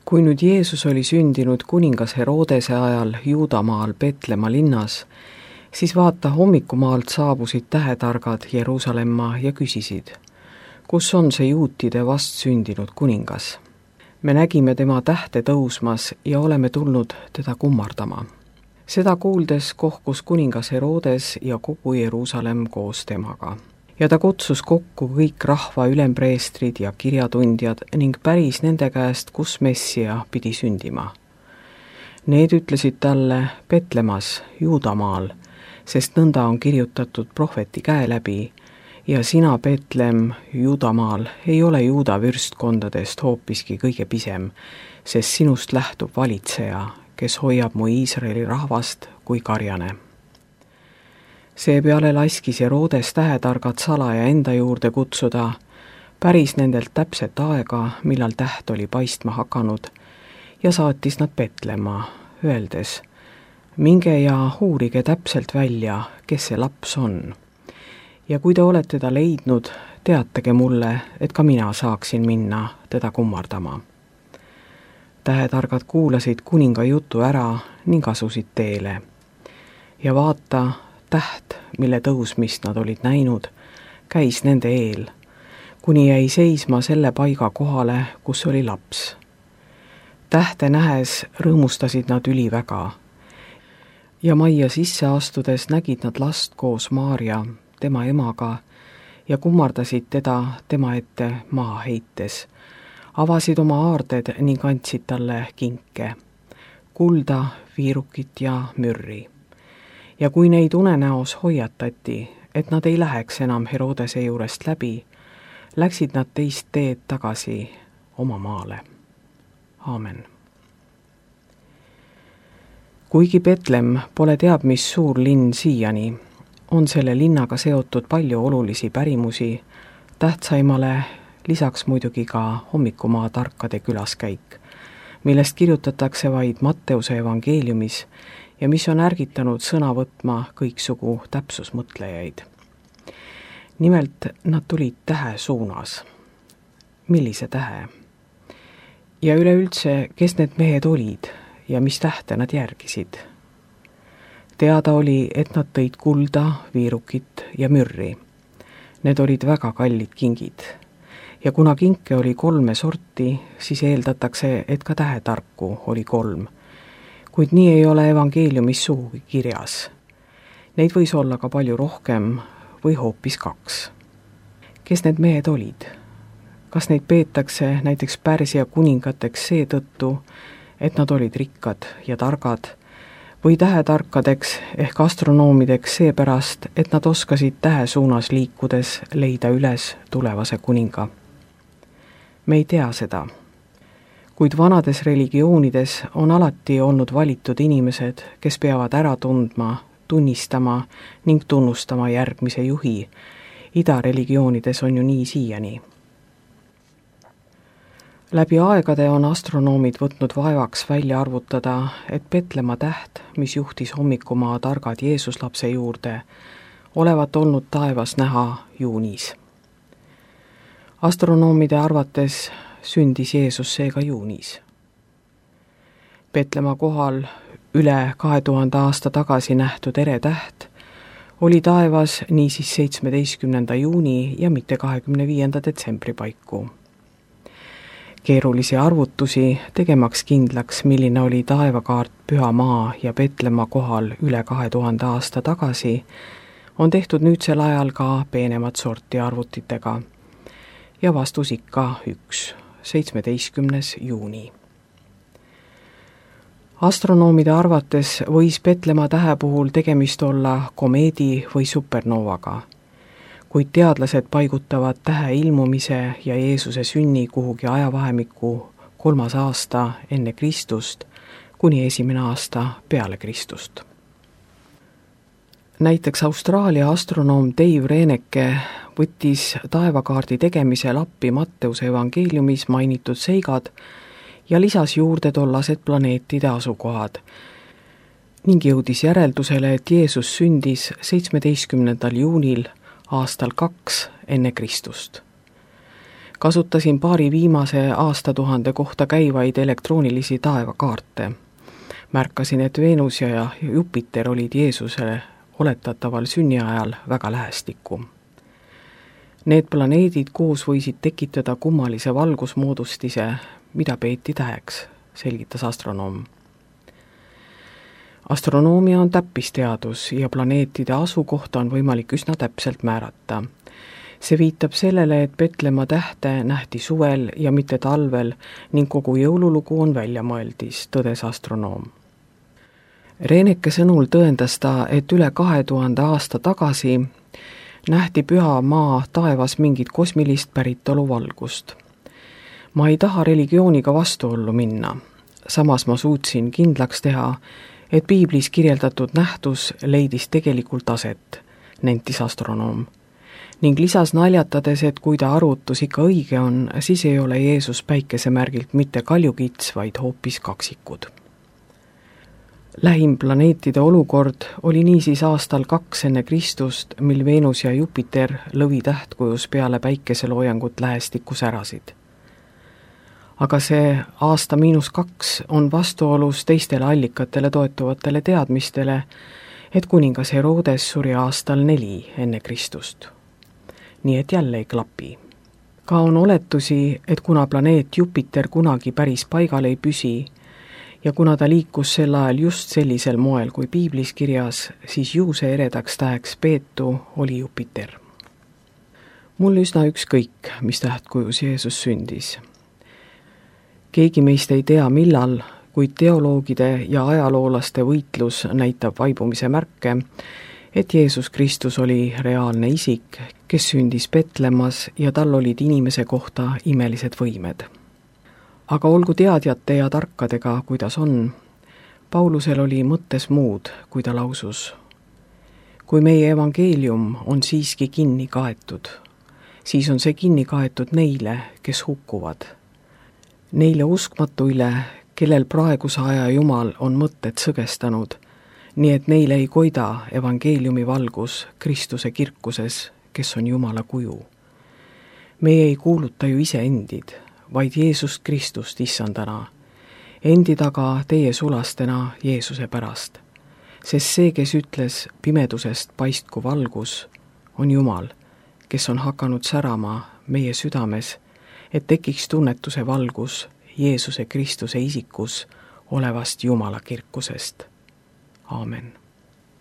Kui nüüd Jeesus oli sündinud kuningas Herodese ajal Juudamaal Petlemma linnas, siis vaata, hommikumaalt saabusid tähetargad Jeruusalemma ja küsisid, kus on see juutide vastsündinud kuningas? Me nägime tema tähte tõusmas ja oleme tulnud teda kummardama. Seda kuuldes kohkus kuningas Herodes ja kogu Jeruusalemm koos temaga. Ja ta kutsus kokku kõik rahva ülempreestrid ja kirjatundjad ning päris nende käest, kus Messia pidi sündima. Need ütlesid talle Petlemas, Juudamaal, sest nõnda on kirjutatud prohveti käe läbi, ja sina, Betlem, Juudamaal, ei ole Juuda vürstkondadest hoopiski kõige pisem, sest sinust lähtub valitseja, kes hoiab mu Iisraeli rahvast kui karjane. Seepeale laskis Herodes tähetargad salaja enda juurde kutsuda, päris nendelt täpset aega, millal täht oli paistma hakanud, ja saatis nad Petlemma, öeldes, minge ja uurige täpselt välja, kes see laps on. Ja kui te olete ta leidnud, teatage mulle, et ka mina saaksin minna teda kummardama. Tähetargad kuulasid kuninga jutu ära ning asusid teele. Ja vaata, täht, mille tõusmist nad olid näinud, käis nende eel, kuni jäi seisma selle paiga kohale, kus oli laps. Tähte nähes rõõmustasid nad üliväga. Ja majja sisse astudes nägid nad last koos Maarja, tema emaga, ja kummardasid teda tema ette maha heites. Avasid oma aarded ning andsid talle kinke, kulda, viirukit ja mürri. Ja kui neid unenäos hoiatati, et nad ei läheks enam Herodese juurest läbi, läksid nad teist teed tagasi oma maale. Aamen. Kuigi Betlem pole teab mis suur linn siiani, on selle linnaga seotud palju olulisi pärimusi, tähtsaimale lisaks muidugi ka hommikumaa tarkade külaskäik, millest kirjutatakse vaid Matteuse evangeeliumis ja mis on ärgitanud sõna võtma kõiksugu täpsusmõtlejaid. Nimelt nad tulid tähe suunas. Millise tähe? Ja üleüldse, kes need mehed olid ja mis tähte nad järgisid? Teada oli, et nad tõid kulda, viirukit ja mürri. Need olid väga kallid kingid. Ja kuna kinke oli 3 sorti, siis eeldatakse, et ka tähetarku oli 3. Kuid nii ei ole evangeeliumis sugugi kirjas. Neid võis olla ka palju rohkem või hoopis 2. Kes need mehed olid? Kas neid peetakse näiteks Pärsia kuningateks seetõttu, et nad olid rikkad ja targad, või tähetarkadeks ehk astronoomideks seepärast, et nad oskasid tähe suunas liikudes leida üles tulevase kuninga? Me ei tea seda. Kuid vanades religioonides on alati olnud valitud inimesed, kes peavad ära tundma, tunnistama ning tunnustama järgmise juhi. Ida religioonides on ju nii siiani. Läbi aegade on astronoomid võtnud vaevaks välja arvutada, et Petlemma täht, mis juhtis hommikumaa targad Jeesuslapse juurde, olevat olnud taevas näha juunis. Astronoomide arvates sündis Jeesus seega juunis. Petlemma kohal üle 2000 aasta tagasi nähtud eretäht oli taevas niisiis 17. juuni ja mitte 25. detsembri paiku. Keerulisi arvutusi tegemaks kindlaks, milline oli taevakaart Püha Maa ja Petlemma kohal üle 2000 aasta tagasi, on tehtud nüüdsel ajal ka peenemat sorti arvutitega. Ja vastus ikka 1, 17. juuni. Astronoomide arvates võis Petlemma tähe puhul tegemist olla komeedi või supernoovaga, kuid teadlased paigutavad tähe ilmumise ja Jeesuse sünni kuhugi ajavahemikku 3. aasta enne Kristust kuni 1. aasta peale Kristust. Näiteks Austraalia astronoom Dave Reeneke võttis taevakaardi tegemisel appi Matteuse evangeeliumis mainitud seigad ja lisas juurde tollased planeetide asukohad ning jõudis järeldusele, et Jeesus sündis 17. juunil aastal 2 enne Kristust. Kasutasin paari viimase aastatuhande kohta käivaid elektroonilisi taevakaarte. Märkasin, et Veenus ja Jupiter olid Jeesusele oletataval sünniajal väga lähestikku. Need planeedid koos võisid tekitada kummalise valgusmoodustise, mida peeti täheks, selgitas astronoom. Astronoomia on täppisteadus ja planeetide asukohta on võimalik üsna täpselt määrata. See viitab sellele, et Petlemma tähte nähti suvel ja mitte talvel ning kogu jõululugu on väljamõeldis, tõdes astronoom. Reeneke sõnul tõendas ta, et üle 2000 aasta tagasi nähti püha maa taevas mingit kosmilist päritolu valgust. Ma ei taha religiooniga vastuollu minna, samas ma suutsin kindlaks teha, et piiblis kirjeldatud nähtus leidis tegelikult aset, nentis astronoom. Ning lisas naljatades, et kui ta arvutus ikka õige on, siis ei ole Jeesus päikesemärgilt mitte kaljukits, vaid hoopis kaksikud. Lähim planeetide olukord oli niisiis aastal 2 enne Kristust, mil Veenus ja Jupiter lõvitähtkujus peale päikeseloojangut lähestikku särasid. Aga see aasta -2 on vastuolus teistele allikatele toetuvatele teadmistele, et kuningas Herodes suri aastal 4 enne Kristust. Nii et jälle ei klapi. Ka on oletusi, et kuna planeet Jupiter kunagi päris paigal ei püsi ja kuna ta liikus sel ajal just sellisel moel kui piiblis kirjas, siis juuse eredaks täheks peetu oli Jupiter. Mul üsna ükskõik, mis tähtkujus Jeesus sündis. Keegi meist ei tea millal, kuid teoloogide ja ajaloolaste võitlus näitab vaibumise märke, et Jeesus Kristus oli reaalne isik, kes sündis Petlemmas ja tal olid inimese kohta imelised võimed. Aga olgu teadjate ja tarkadega, kuidas on, Paulusel oli mõttes muud, kui ta lausus. Kui meie evangeelium on siiski kinni kaetud, siis on see kinni kaetud neile, kes hukkuvad. Neile uskmatuile, kellel praeguse aja Jumal on mõtted sõgestanud, nii et neile ei koida evangeeliumi valgus Kristuse kirkuses, kes on Jumala kuju. Meie ei kuuluta ju ise endid, vaid Jeesust Kristust issandana, endi taga teie sulastena Jeesuse pärast. Sest see, kes ütles pimedusest paistku valgus, on Jumal, kes on hakanud särama meie südames, et tekiks tunnetuse valgus Jeesuse Kristuse isikus olevast Jumala kirkusest. Aamen.